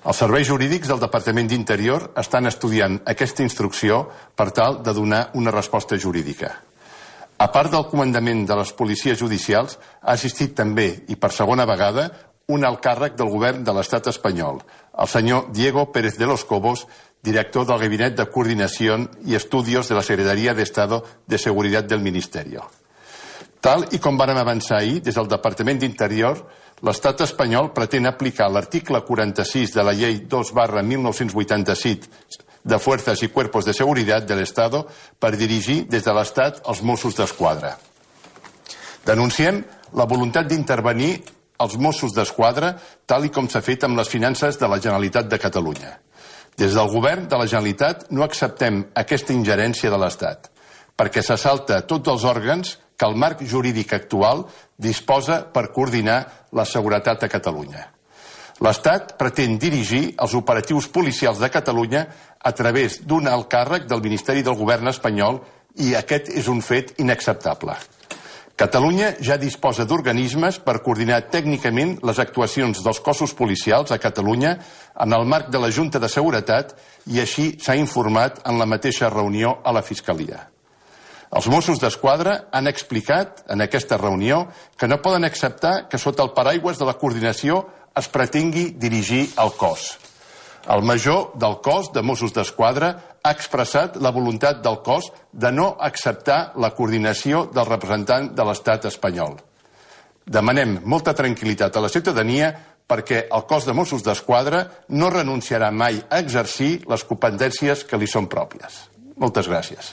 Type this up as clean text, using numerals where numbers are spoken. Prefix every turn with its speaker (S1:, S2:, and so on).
S1: Els serveis jurídics del Departament d'Interior estan estudiant aquesta instrucció per tal de donar una resposta jurídica. A part del comandament de les policies judicials, ha assistit també, i per segona vegada, un alt càrrec del govern de l'Estat espanyol, el senyor Diego Pérez de los Cobos, director del Gabinet de Coordinación y Estudios de la Secretaría de Estado de Seguridad del Ministerio. Tal i com vàrem avançar ahir, des del Departament d'Interior, l'Estat espanyol pretén aplicar l'article 46 de la Llei 2/1987 de Fuerzas y Cuerpos de Seguridad del Estado per dirigir des de l'Estat els Mossos d'Esquadra. Denunciem la voluntat d'intervenir els Mossos d'Esquadra tal i com s'ha fet amb les finances de la Generalitat de Catalunya. Des del govern de la Generalitat no acceptem aquesta ingerència de l'Estat, perquè s'assalta tots els òrgans que el marc jurídic actual disposa per coordinar la seguretat a Catalunya. L'Estat pretén dirigir els operatius policials de Catalunya a través d'un alt càrrec del Ministeri del Govern espanyol i aquest és un fet inacceptable. Catalunya ja disposa d'organismes per coordinar tècnicament les actuacions dels cossos policials a Catalunya en el marc de la Junta de Seguretat i així s'ha informat en la mateixa reunió a la Fiscalia. Els Mossos d'Esquadra han explicat en aquesta reunió que no poden acceptar que sota el paraigües de la coordinació es pretengui dirigir el cos. El major del cos de Mossos d'Esquadra ha expressat la voluntat del cos de no acceptar la coordinació del representant de l'Estat espanyol. Demanem molta tranquil·litat a la ciutadania perquè el cos de Mossos d'Esquadra no renunciarà mai a exercir les competències que li són pròpies. Moltes gràcies.